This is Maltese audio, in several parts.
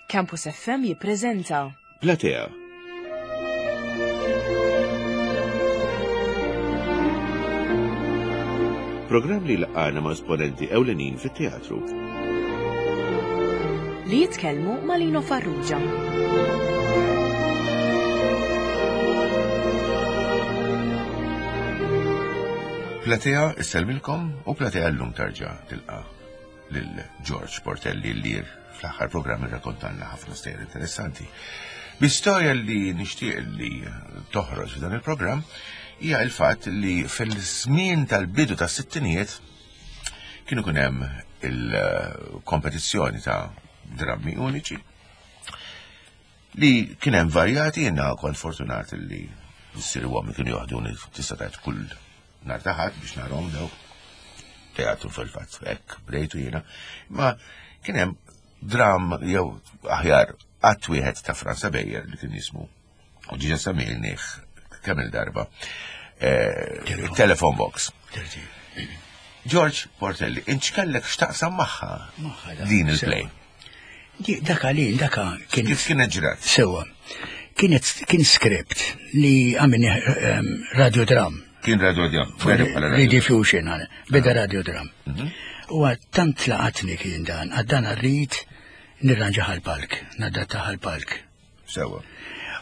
Campus FM jippreżenta. Platea. Programm li laqgħana ma' esponenti ewlenin fit-teatru. Li jitkellmu ma' Lino Farrugia. Platea isselmilkom u Platea llum tarġa' tilqa' lil George Portelli li fl-aħħar programm irrakontanna ħafna stejjer interessanti. Bi storja li nixtieq li toħroġ f'dan il-programm hija l-fatt li fil-żmien tal-bidu tas-sittinijiet kienu kun hemm il-kompetizzjoni ta' drammi uniċi li kien hemm varjati jiena kont fortunat li missieri u ommi kienu joħduni tista' tgħid kull Nhar ta' Ħadd biex narhom dawk teatru fil-fatt hekk bdejtu jiena. Ma kien hemm dram jew aħjar qatt wieħed ta' Franza Bejjer li kien jismu u ġiġa semmilnih kemm il-darba. Eh, Telephone box. George Portelli, inċ kellek x'taqsam magħha din il-play. Dak għalin, dak kien. Kif kienet ġrat? Sewa. Kienet kien script li għamilni ehm, radiodram. Kien radiodram. Rediffusion, beda ah. radiodram. Mhm. U tant laqatni kien dan, għaddan rrid nirranġa ħal-palk, nadatta ħal-palk. Sewa.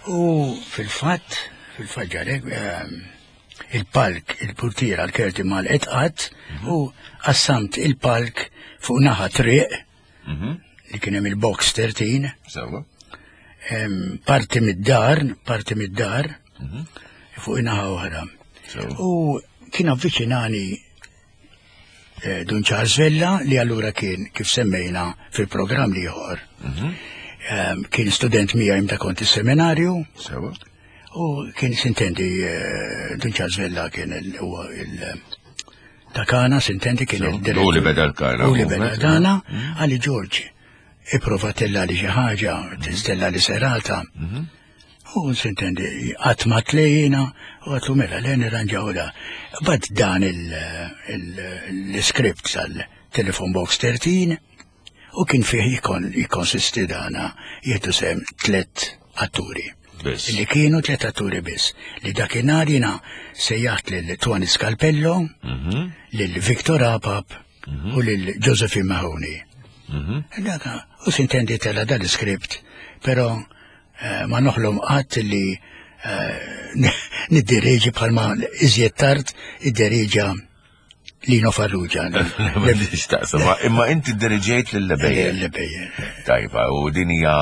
U fil-fatt, fil-fatt ġarek, ehm, il-palk, il-portiera, l-kerti mal-etqat, mhm. u qassamt il-palk fuq naħa triq, mhm. li kien hemm il-box 13. Sewa. Parti mid-dar, parti mid-dar, mhm. fuq naħa oħra. U kien avviċinani eh, Dun Charles Vella li allura kien kif semmejna fil-programm li ieħor. Mhm. Kien student miegħi meta kont is-seminarju. Sewa. U kien sintendi eh, Dun Charles Vella kien il ta' Kana, sintendi kien il-direttur. U li beda l-Kana. U li beda l-Kana, mm. għalli George, iprova tella li xi ħaġa, tistella li serata. Mhm. U sintendi, qatt ma tlejjina, u għatlu mela le nirranġaw da. Bad dan l-script tal-Telephone Box 13, U kien fih jikkonsisti dana jieħdu sehem tlett atturi. Biss. Li kienu tlett atturi biss. Li dakinhar jiena sejjaħt lil Tony Scalpello, mhm. lil Victor Apap mhm. u lil Josephine Mahoney. Mhm. Daka, u sintendi tela dal-iskript, pero eh, ma noħlom qatt li eh, niddirieġi bħalma iżjed tard id-deriġa Lino Farrugia. Imma inti diriġejt lil Lebejjer. Lebejjer. Tajba, u din hija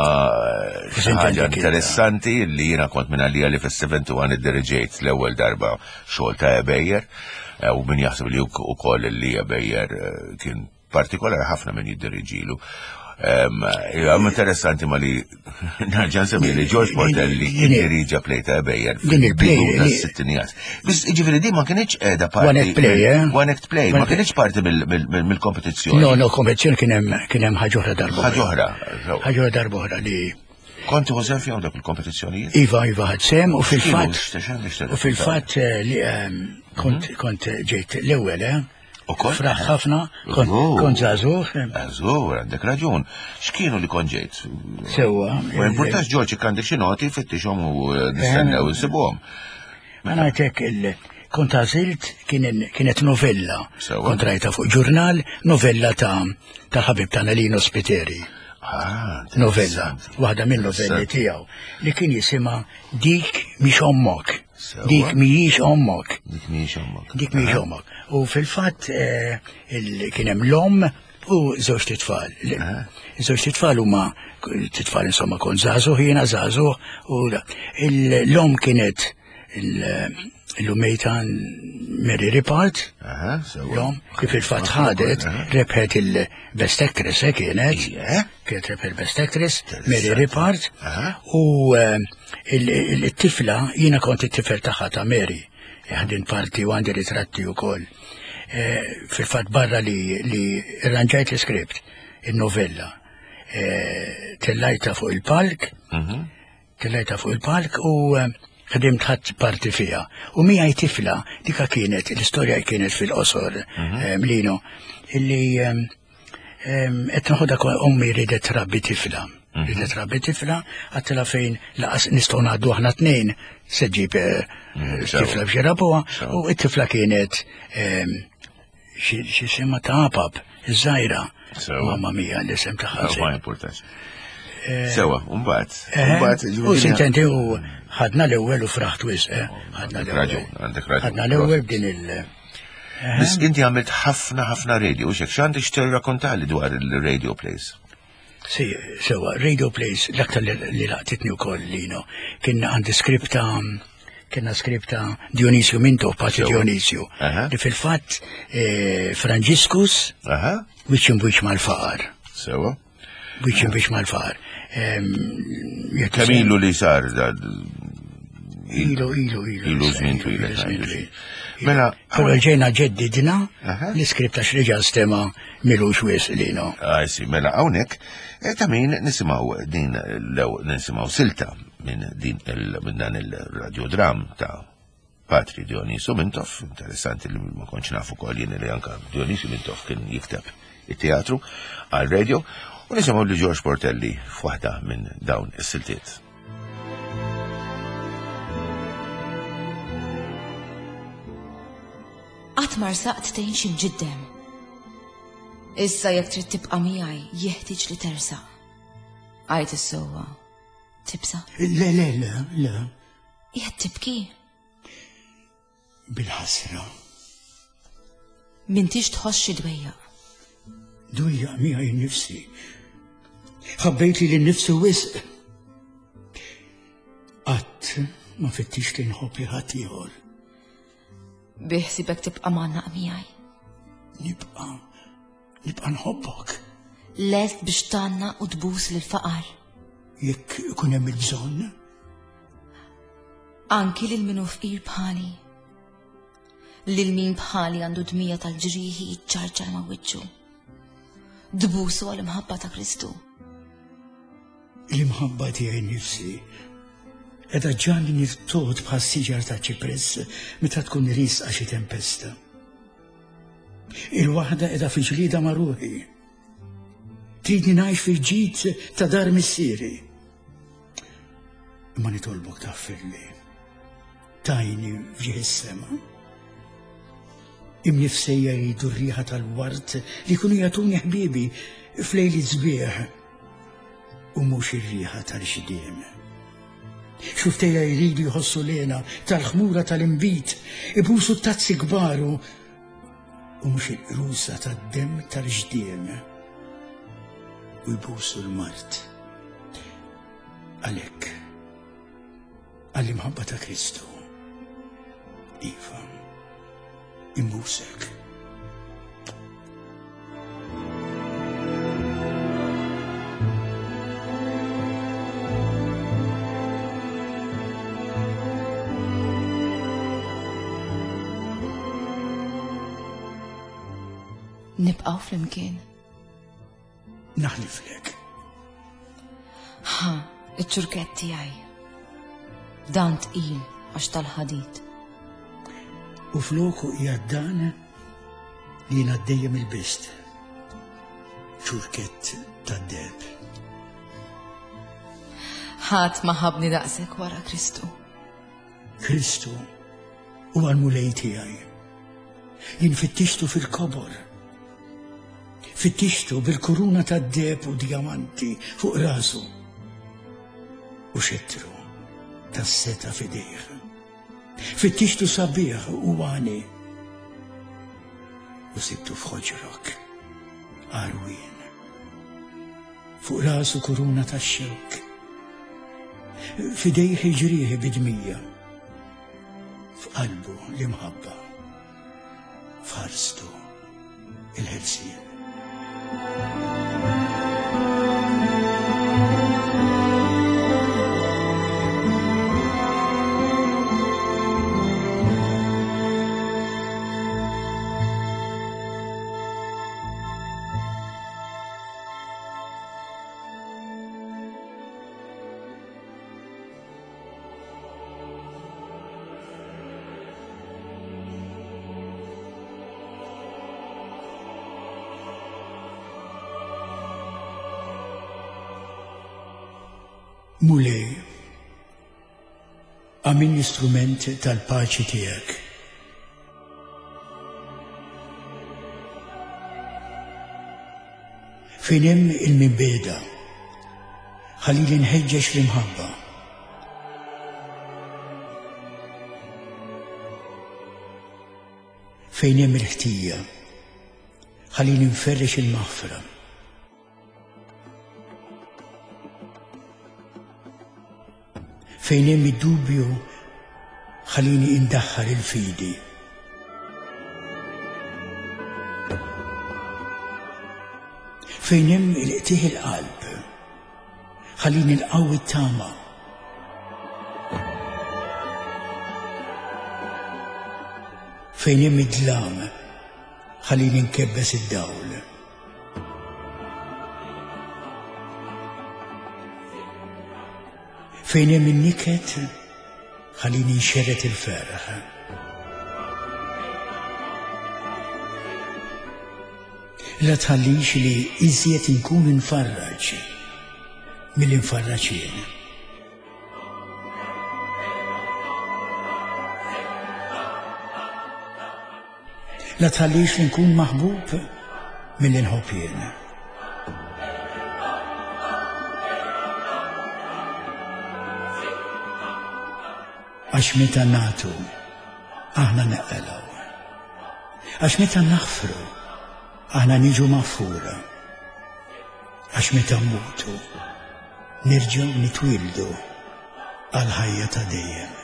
eh, ħaġa interessanti li jiena kont minn għalija li fis-71 iddiriġejt l-ewwel darba xogħol ta' Ebejjer eh, u min jaħseb li wkoll li Ebejjer eh, kien partikolari ħafna minn jiddiriġilu. Għam interessanti ma li narġan semmi li George Portelli diriġa play ta' Bejjer. Din il-play. Tas-sittinijiet. Biss ġifieri din ma kienx qiegħda parti. One act play, eh? One act play, ma kienx parti mill-kompetizzjoni. No, no, kompetizzjoni kien hemm kien hemm ħaġa oħra darba. Ħaġa oħra. Ħaġa oħra darba oħra li Konti ħu sem fihom dak il-kompetizzjonijiet? Iva, iva, ħad sem u fil-fatt. U fil-fatt eh, li ehm, kont mhm. kont ġejt l-ewwel, eh? U kont? Fraħ ħafna, kont żagħżugħ. Żagħżugħ, għandek raġun. X'kienu li kont ġejt? Sewwa. Ma importax Ġorġ jekk għandek xi noti fittixhom u eh, nistennew eh. insibuhom. Ma ngħidlek il kont għażilt kienet novella. Kont rajta fuq ġurnal, novella ta' tal-ħabib tagħna Lino Spiteri. Ah, novella, waħda minn novelli tiegħu li kien jisimha Dik mhix ommok. Dik mhijiex ommok. Dik mhijiex ommok. Dik mhijiex ommok. U fil-fatt eh, kien hemm l-omm u żewġ titfal. Żewġ titfal huma titfal insomma kont żagħżugħ jiena żagħżugħ u l-omm kienet l-umejta Mary Ripart, l-omm kif il-fatt ħadet rebħet il-Best Actress eh, kienet. Kienet rebħet il-Best Actress, Mary Ripart, u eh, il-tifla, jiena kont it-tifel tagħha ta' Mary, ħadin parti u għandi ritratti wkoll. Eh, fil-fatt barra li li rranġajt l-iskript, il-novella, eh, tellajta fuq il-palk, mhm. tellajta fuq il-palk u eh, ħdimt ħadd parti fiha. U miegħi tifla, dika kienet, l-istorja kienet fil-qosor, mhm. Lino, illi qed noħodha ommi ridet rabbi tifla. Li trabbi tifla, għattila fejn laqas nistgħu ngħaddu aħna tnejn se ġib eh, mm, tifla biex rabuha u t-tifla kienet ehm, xi sema ta' apap, iż-żgħira. Mamma mia l-isem tagħha. Ma importax. Eh, Sewa, mbagħad. Eh, u sintenti u ħadna l-ewwel u fraħt wisq, ħadna l-ewwel. Għandek raġun. Ħadna l-ewwel b'din il- Bis inti għamilt ħafna ħafna radio, u xek x'għandek x'tirrakkontali dwar il-radio plays? Si, sewa, radio plays, l-aktar li laqtitni u koll, Lino, kien għandi skripta, kienna skripta Dionisio Minto, Paċi Dionisio, li fil-fat eh, Franġiskus, wiċ imwiċ mal-faqar. Sewa. Wiċ imwiċ mal-faqar. Kemm ilu li sar Ilu, ilu, ilu. Ilu żmien twil. Mela, però ġejna ġeddidna l-iskript għax reġa' stema milux wis lino. Għajsi, mela hawnhekk eh, ta' min nisimgħu din l nisimgħu silta minn din minn dan il-radiodram ta' Patri Dionisio Mintoff, interessanti li ma kontx nafu kol jien li anka Dionisio Mintoff kien jikteb it-teatru għal radio, u nisimgħu li George Portelli f'waħda minn dawn is-siltiet. Qatt ma rsaqt tgħin xi mġiddem. Issa jekk trid tibqa' miegħi jeħtieġ li tersaq. Għajt is-sewwa. Tibsa? Le, le, le, le. Qiegħed tibki? Bil-ħasra. M'intix tħoss xi dwejjaq. Dwejjaq miegħi nnifsi. Ħabbejt li nnifsi wisq. Qatt ma fittix li nħobb li ħadd ieħor. Biħsibek tibqa' mgħannaq miegħi. Nibqa' nibqa' nħobbok. Lest biex tgħannaq u tbus lill-faqar. Jekk ikun hemm il-bżonn. Anki lil min hu fqir bħali. Lil min bħali għandu dmija tal-ġrieħi jiċċarċar ma' wiċċu. Tbusu għall-imħabba ta' Kristu. L-imħabba tiegħi nnifsi qiegħda ġġagħalni nirtogħod bħas-siġar ta' ċipress meta tkun riesqa xi tempesta. Il-waħda qiegħda fi ġlieda ma' ruħi. Tridni ngħix fil-ġid ta' dar missieri. Imma nitolbok taffirli. Tajni f'ġieħ is-sema. Imnifsejja jridu r-riħa tal-ward li jkunu jagħtuni ħbiebi f'lejli sbieħ u mhux ir-riħa tal-xdiem. Xuftejja jridu jħossu lena tal-ħmura tal-imbit, ibusu t-tazzi kbar u mhux il-qrusa tad-demm tal-ġdiem u jbusu l-mart. Għalhekk, għall-imħabba ta' Kristu, Iva, imbusek. Nibqgħu flimkien. Naħliflek. Ħa, iċ-ċurkett tiegħi. Dan tqil għax tal-ħadid. U floku qiegħed dan li jiena dejjem il-bist. Ċurkett tad-deheb. Ħadd ma ħabni daqshekk wara Kristu. Kristu huwa l-Mulej tiegħi. Jien fittixtu fil-kobor. Fittixtu bil-kuruna tad-deheb u djamanti fuq rasu u xettru tas-seta f'idejh. Fittixtu sabiħ u għani u sibtu f'ħoġrok għarwien. Fuq rasu kuruna tax-xewk. F'idejh il-ġrieħi bidmija. F'qalbu l-imħabba. F'ħarstu il-ħelsien. Mulej, għamilni strument tal-paċi tiegħek. Fejn hemm il-mibegħda, ħallili nħeġġeġ l-imħabba. Fejn hemm il-ħtija, ħallini nferrex il-maħfra. Fejn hemm id-dubju ħallini indaħħal il-fidi. Fejn hemm il-qtieħ il-qalb, ħallini nqawwi t-tama. Fejn hemm id-dlam, ħallini nkebbes id-dawl. Fejn hemm in-niket, ħallini nxerred il-ferħ. La tħallix li iżjed inkun infarraġ milli nfarraġ jien. La tħallix li nkun maħbub milli nħobb jien. Għax meta nagħtu, aħna neqelgħu. Għax meta naħfru, aħna niġu maħfura. Għax meta mmutu, nerġgħu nitwieldu għall-ħajja ta' dejjem.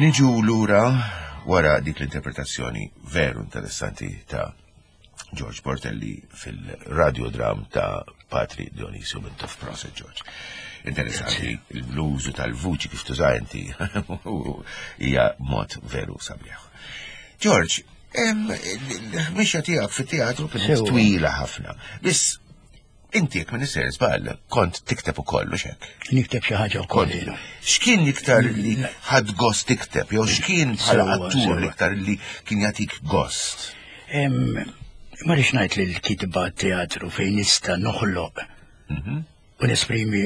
Niġu lura wara dik l-interpretazzjoni veru interessanti ta' George Portelli fil-radiodram ta' Patri Dionisio Mintoff Proset George. Interessanti, l-bluzu tal-vuċi kif tuża inti hija mod veru sabiħ. George, mixja tiegħek fit-teatru kienet twila ħafna. Biss Inti jekk minn isser żball kont tikteb ukoll u xek. Nikteb xi ħaġa wkoll. X'kien iktar li ħadd gost tikteb jew x'kien bħala attur l-iktar li kien jagħtik gost? Ma rix ngħid li l-kitba teatru fejn nista' noħloq mhm. u nesprimi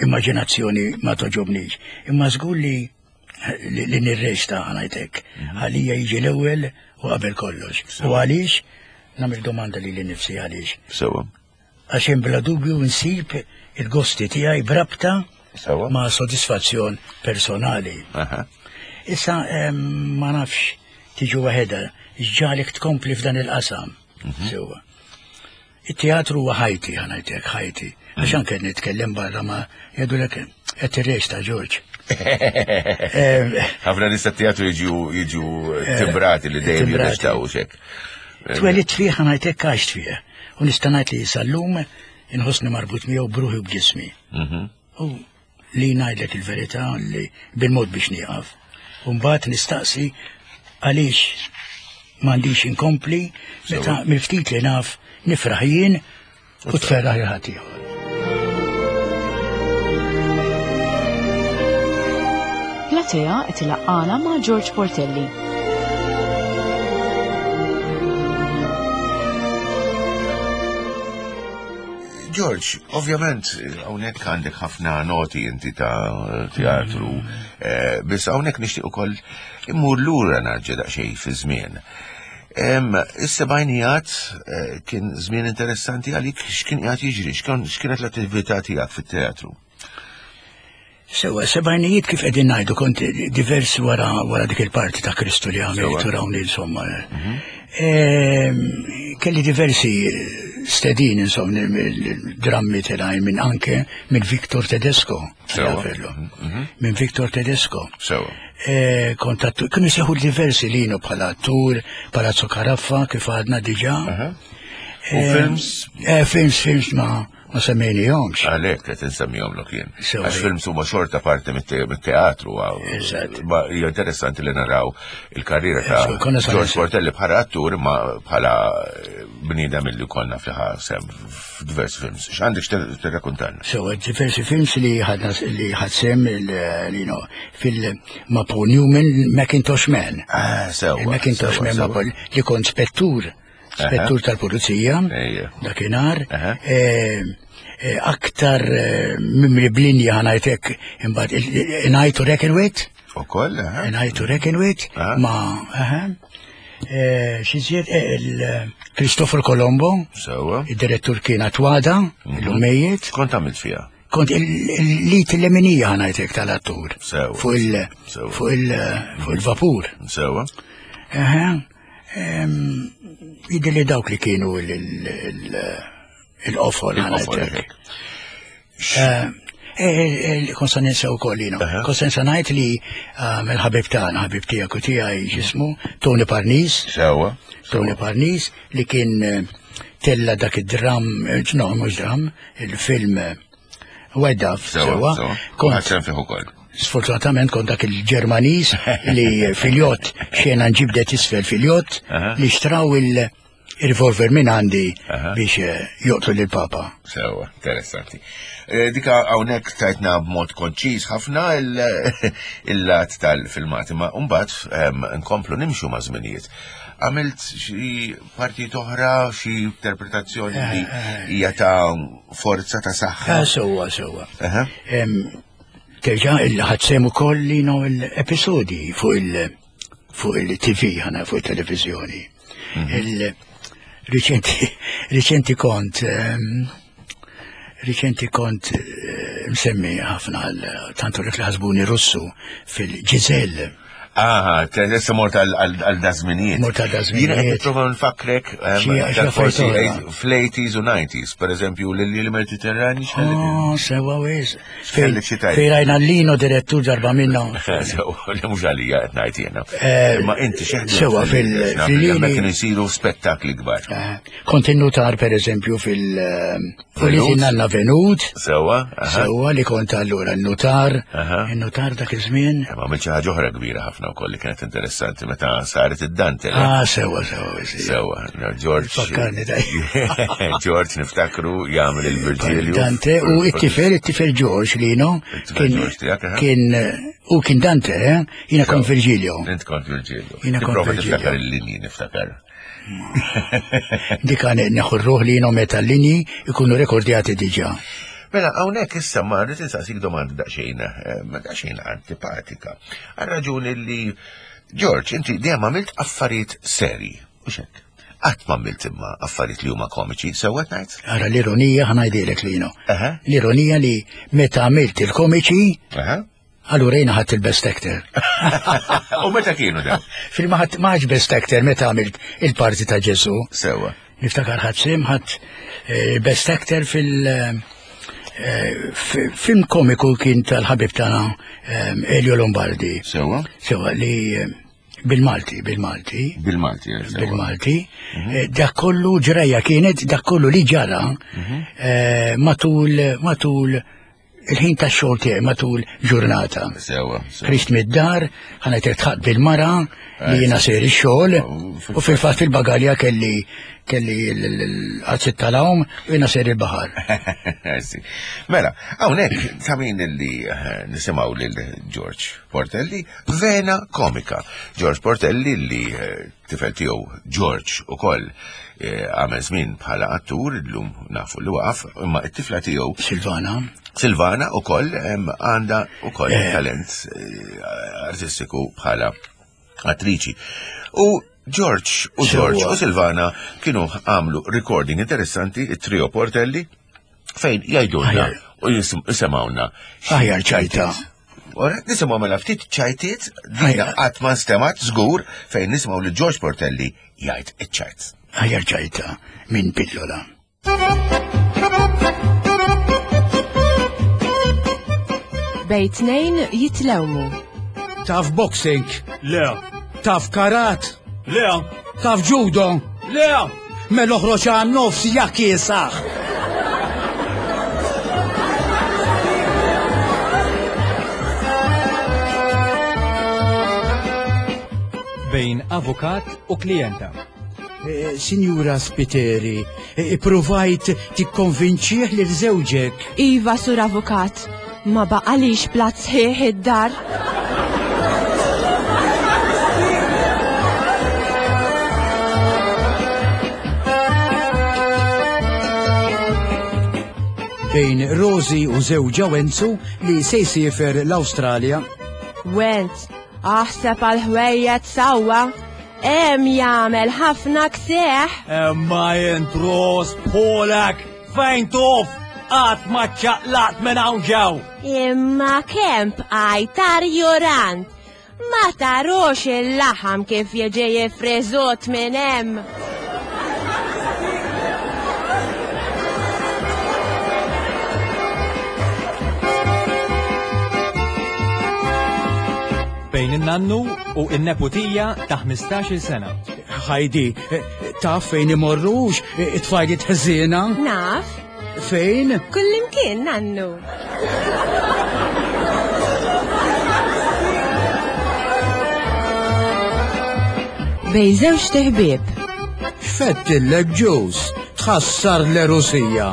immaġinazzjoni ma toġobnix. Imma żgur li li nirreċta ngħidlek. Mhm. Għalija jiġi l-ewwel u qabel kollox. U għaliex nagħmel domanda li nifsi għaliex. Sewa. Għax hemm bla dubju nsib il-gosti tiegħi brabta ma' sodisfazzjon personali. Issa ma nafx tiġu waħedha, ġġalek tkompli f'dan il-qasam. Mhm. Sewa. It-teatru huwa ħajti, ħa ngħidlek ħajti. Għax anke nitkellem barra ma jgħidulek qed tirreċta Ġorġ. Ħafna nies tat-teatru jiġu jiġu eh, timbrati li dejjem jirreċtaw xek. Twelidt fih ħa ngħidlek għaxt fih. U nista' ngħid li sal-lum inħossni marbut miegħu bruħi u b'ġismi. Mhm. U li ngħidlek il-verità li bil-mod biex nieqaf. U mbagħad nistaqsi għaliex m'għandix inkompli meta mill-ftit li naf nifraħ jien u tferraħ il ħadd ieħor. Platea qed ilaqqana ma' George Portelli. George, ovvjament, hawnhekk għandek ħafna noti inti ta' teatru, eh, biss hawnhekk nixtieq ukoll immur lura narġa' daqsxejn fi żmien. Is-sebgħinijat eh, kien żmien interessanti għalik x'kien qiegħed jiġri, x'kienet l-attività tiegħek fit-teatru? Sewa, sebgħinijiet kif qegħdin ngħidu kont diversi wara wara dik il-parti ta' Kristu li għamilt u rawni insomma. Mhm. Ehm, kelli diversi stedin insomma drammi telajn minn anke minn Victor Tedesco. Mhm, mhm. Minn Victor Tedesco. Sewa. Eh, kontattu, kienu seħu diversi linu bħala attur, Palazzo Caraffa, kif għadna diġa. U films? Eh, films, films ma' Ma semmejnihomx. Għalhekk qed insemmihomlok jien. Għax films huma xorta parti mit-teatru. Ma hija interessanti li naraw il-karriera ta' George Portelli bħala attur imma bħala eh, bniedem li konna fliħa sem f'diversi films. X'għandek tirrakkuntalna? So, diversi films li ħadna li ħad sem fil ma' Paul Newman Macintosh Man. Ah, sewa. Macintosh Man ma' Paul li kont spettur spettur tal-pulizija, dakinhar, eh, eh, aktar eh, mimli blinja ħanajtek imbagħad ngħid u reckon with. Ukoll, Ngħid u reckon with ma Xiżjed il-Christopher Colombo, id-direttur kien Atwada, mhm. il-lummejiet. Kont għamilt fiha? Kont il-lit l-leminija ħanajtek tal-attur. Fuq il-vapur. Sewa. Jidher li dawk li kienu il-qofol ħanajtek. Eh, eh, eh, Konsa ninsa u koll, jino. Konsa ninsa najt li mill-ħabib tagħna, ħabib tiegħek u tiegħi ġismu, Tony Parnis. Sewa. Tony Parnis li kien tella dak id-dram, no, mhux dram, il-film White Dove. Sewa. Kont fih ukoll. Sfortunatament kont dak il-Ġermaniż li fil-jott xena nġibdet isfel fil-jott li xtraw il-revolver minn għandi biex eh, joqtlu lil papa. Sewa, interessanti. Eh, dika hawnhekk tajtna b'mod konċiż ħafna il-lat tal-filmati, ma mbagħad ehm, nkomplu nimxu ma' żminijiet. Għamilt xi partijiet oħra, xi interpretazzjoni li eh, hija ta' forza ta' saħħa. Sewa, sewa. Terġa' il-ħadsem ukoll li no l-episodi fuq il- fuq il-TV ħana fuq il-televizjoni. Mhm. Il-riċenti riċenti kont ehm, riċenti kont eh, msemmi ħafna tantu li ħasbuni Russu fil-Ġizel. Aha, issa mort għal dażminijiet. Mort għal dażminijiet. Jiena qed nipprova nfakrek ehm, forsi fl-80s u 90s, per eżempju, l-Mediterrani Oh, sewa wis. Fejn rajna l-lino direttur darba minna. Sewa, li mhux għalija qed ngħid jiena. Eh, Ma inti xi Sewa fil-lini. Kienu jsiru spettakli kbar. Eh, kont innutar per eżempju fil- ehm, U li nanna venut. Sewa. Sewa li kont allura n-notar. Il-notar dak iż-żmien. Ma għamilt xi ħaġa oħra kbira ħafna wkoll li kienet interessanti meta saret id-Dante. Ah, sewa, sewa. Sewa, George. Fakkarni daj. George niftakru jagħmel il-Virgilio. Dante u it-tifel, it-tifel George li no. Kien kien u kien Dante, eh? Jiena kont Virgilio. Int kont Virgilio. Jiena kont Virgilio. Niftakar il-linji niftakar. Dik għan neħu r-ruħ li jinom meta l-linji ikunu rekordjati diġa. Mela, hawnhekk issa ma rrid insaqsik domanda daqsxejn, eh, daqsxejn antipatika. Għal raġuni li George, inti dejjem għamilt affarijiet seri, u xek. Qatt ma għamilt imma affarijiet li huma komiċi, sewwa ngħid? Ara l-ironija ħanajdilek li L-ironija li meta għamilt il-komiċi, Allura jiena ħadd il-best actor. U meta kienu da? Fil-ma ħadd maħġ best actor meta għamilt il-parti ta' Ġesu. Sewa. Niftakar ħadd sim ħadd eh, best actor fil- eh, film komiku kien tal-ħabib tagħna eh, Elio Lombardi. Sewa. Sewa li bil-Malti, bil-Malti. Bil-Malti, Bil-Malti. Mhm. Dak kollu ġrajja kienet, dak kollu li ġara mhm. matul matul il-ħin ta' xogħol tiegħi matul ġurnata. Sewa. Ħriġt mid-dar, ħanajt tħaq bil-mara li jiena sejr ix-xogħol u fil-fatt fil-bagalja kelli kelli l-qazzit tal-għawm u jiena sejr il-baħar. Mela, hawnhekk ta' min li eh, nisimgħu lil George Portelli, vena komika. George Portelli li eh, Tifel tiegħu George ukoll eh, għamel żmien bħala attur, illum nafu li waqaf, imma t-tifla tiegħu Silvana. Silvana ukoll għandha ukoll eh. talent eh, artistiku bħala attriċi. U George u George u Silvana kienu għamlu recording interessanti, it-trio Portelli, fejn jgħidulna u jisimgħuna. Aħjar ċajta. Ora, nisimgħu mela ftit ċajtiet, dina qatt ma nstemat żgur fejn nisimgħu li George Portelli jgħid iċ-ċajt. Aħjar ċajta minn pillola. Bej tnejn jitlewmu. Taf boxing? Le. Taf karat? Le. Taf judo? Le. Mela oħroġ għan nofs ja kiesaħ. Bejn avukat u klijenta. Eh, Sinjura Spiteri, eh, ippruvajt tikkonvinċih lil żewġek. Iva, sur avukat, ma baqalix platt sħiħ id-dar. Bejn Rosi u żewġha Wenzu li se jsiefer l-Awstralja. Wenz, aħseb għal ħwejjed sewwa. Hemm jagħmel ħafna ksieħ. Imma int Ros Polak, fejn tuf? Qatt ma ċċaqlaqt minn hawn ġew. Imma kemm bqajt arjurant. Ma tarux il-laħam kif jiġi jifriżut minn hemm. Bejn in-nannu u n-neputija ta' 15-il sena. Heidi, taf fejn imorrux it-tfajliet ħżiena? Naf. Fejn? Kullimkien, nannu. Bejn żewġt iħbieb. X'fettillek ġuż, tħassar l-erusija.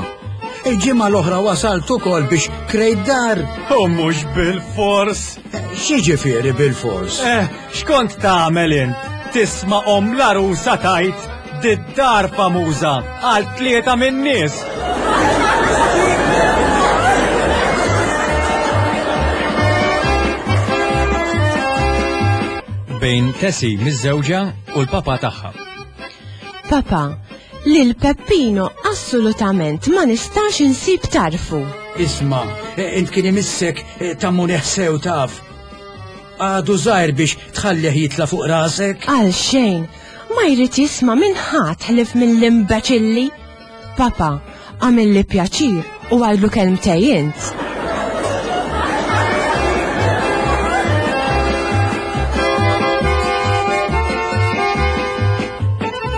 Il-ġimgħa l-oħra wasalt ukoll biex krejt dar. U mhux bil-fors. X'jiġifieri bil-fors? Eh, x'kont tagħmel int? Tisma' omm l-għarusa tgħid did-dar famuża għal tlieta min-nies. Bejn Tessie miżżewġa u l-papa tagħha. Papa, lil Peppino assolutament ma nistax insib tarfu. Isma', int kien imissek Eh, Tammunih sew taf. Għadu żgħir biex tħallih jitla' fuq rasek. Għal xejn, ma jrid jisma' minn ħadd ħlief mill-imbeċilli. Papa, għamilli pjaċir u għidlu kelmtej int.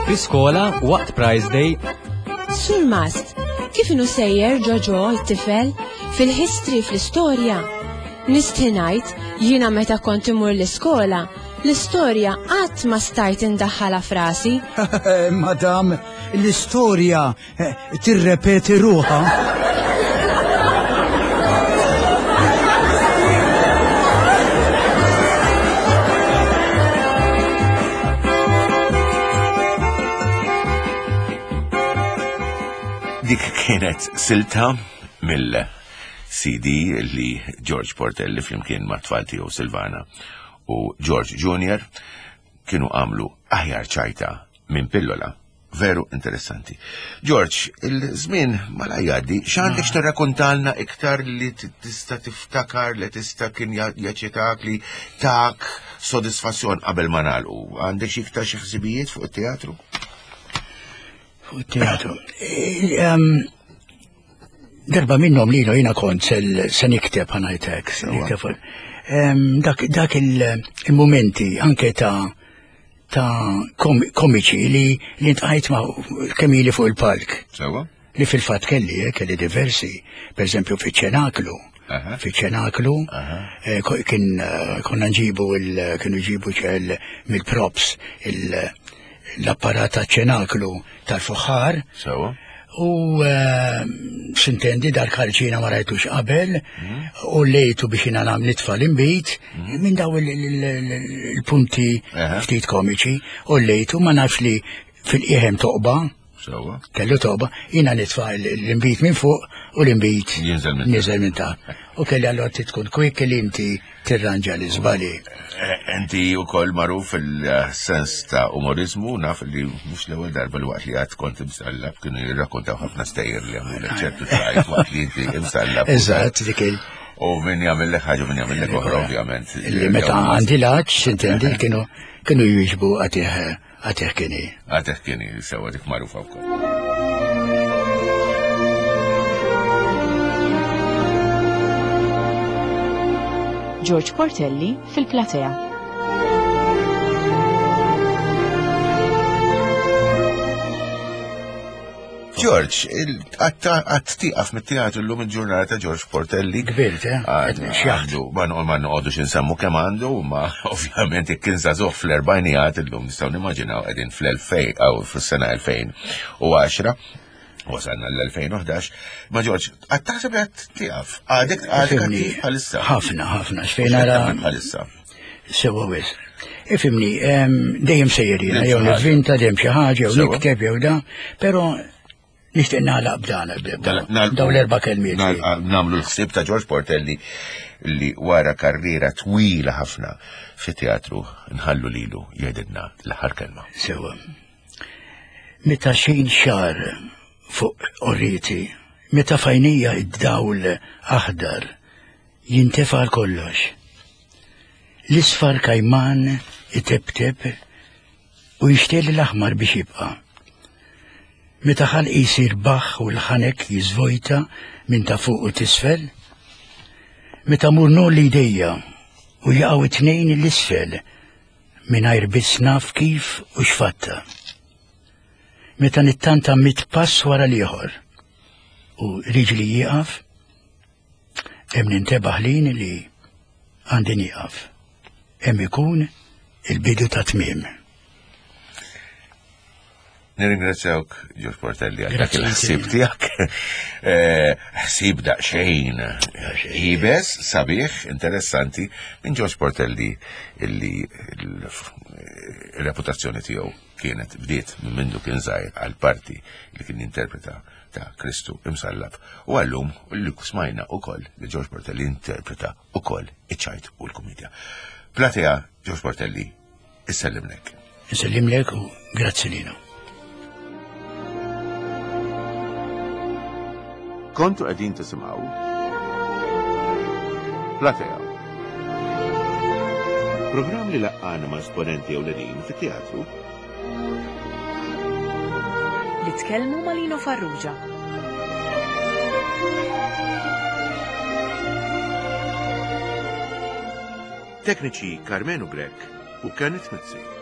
Fi skola waqt Prize Day Surmast, kif inhu sejjer ġoġo t-tifel? Fil-history fl-istorja, nistħi ngħid jiena meta kont imur l-iskola, l-istorja qatt ma stajt indaħħalha f'rasi. Madam, l-istorja eh, tirrepeti ruħha. Dik kienet silta mill-CD li George Portelli flimkien ma' tfal tiegħu Silvana u George Junior kienu għamlu aħjar ċajta minn pillola. Veru interessanti. George, il-żmien mala jgħaddi, x'għandek x'tirrakontalna iktar li tista' tiftakar li tista' kien jaċċetak li tak sodisfazzjon qabel ma nagħlqu. Għandek xi iktar xi ħsibijiet fuq it-teatru? Fuq it-teatru. Darba minnhom lilu jiena kont se nikteb ħanajtek, se nikteb. Dak, dak il-momenti anke ta' ta' komiċi li li ntqajt ma' kemm ili fuq il-palk. Sewa? Li fil-fatt kelli, eh, kelli diversi, per eżempju fiċ-ċenaklu. Fiċ-ċenaklu eh, kien eh, konna nġibu il kienu jġibu ċel mill-props l-apparat ta' ċenaklu tal-fuħħar. Sewa. U eh, sintendi dar karċina ma rajtux qabel mm. u lejtu biex jina nam nitfa l-imbit mm. minn daw il-punti ftit komiċi u lejtu ma nafx li fil-qiegħem toqba. Sewa. Kellu toqba, jina nitfa l-imbit minn fuq u l-imbit niżel minn ta' U kelli allora tkun kwik li inti tirranġa l-iżbalji. Eh, inti wkoll magħruf fil-sens ta' umorizmu, naf li mhux l-ewwel darba li waqt li għad kont imsallab kienu jirrakkontaw ħafna stejjer li għamlu ċertu trajt waqt li inti imsallab. Eżatt, dik il. U min jagħmel ħaġa min jagħmel oħra ovvjament. Li meta għandi laċ, intendi, kienu kienu jiġbu għatih Għatih kini. Għatih kini, sewa dik magħrufa wkoll. George Portelli fil-platea. George, għat tiqaf mit-teatru l-lum il-ġurnata George Portelli. Kbirt, eh? Għandu, ma noqogħdux insemmu kemm għandu, ma ovvjament jekk kien żagħżugħ fl-erbajnijat illum nistgħu nimmaġinaw qegħdin fl-2000 aw fis-sena 2010. Wasalna l-2011. Ma George, għad taħseb li għad tiqaf? Għadek għadek bħalissa. Ħafna, ħafna, xfejn ara. Bħalissa. Sewa wis. Ifimni, dejjem sejjer jiena, jew nivvinta dejjem xi ħaġa, jew nikteb jew da, però nixtieq nagħlaq b'dan dawn l-erba' kelmiet. Nagħmlu l-ħsieb ta' George Portelli li wara karriera twila ħafna fit-teatru nħallu lilu jgħidilna l-aħħar kelma. Sewa. Meta xejn xar fuq orriti, meta fajnija id-dawl aħdar jintefa' għal kollox. L-isfar kajman itebteb u jixtieq l-aħmar biex jibqa'. Meta ħalqi jsir baħ u l-ħanek jiżvojta minn ta' fuq u tisfel, meta mur nolli jdejja u jaqgħu it-tnejn l-isfel mingħajr biss naf kif u x'fatta. Meta nittanta mit pass wara l-ieħor u riġli jieqaf, Hemm nintebaħ lin li għandi nieqaf. Hemm ikun il-bidu ta' tmiem. Nirringrazzjawk, Ġorġ Portelli, għal dak il-ħsieb tiegħek. Eh, ħsieb daqsxejn ibes, sabiħ, interessanti, minn Ġorġ Portelli illi l-reputazzjoni tiegħu kienet bdiet minn mindu kien żgħir għal parti li kien jinterpreta ta' Kristu imsallab u għallum li smajna ukoll li George Portelli interpreta ukoll iċ-ċajt u l-kumedja. Platea George Portelli, issellimlek. Issellimlek u grazzi lina. Kontu qegħdin tisimgħu Platea. Programm li laqqana ma' esponenti ewlenin fit-teatru Li tkellmu ma' Lino Farrugia. Tekniċi Karmenu Grech u Kenneth Mizzi.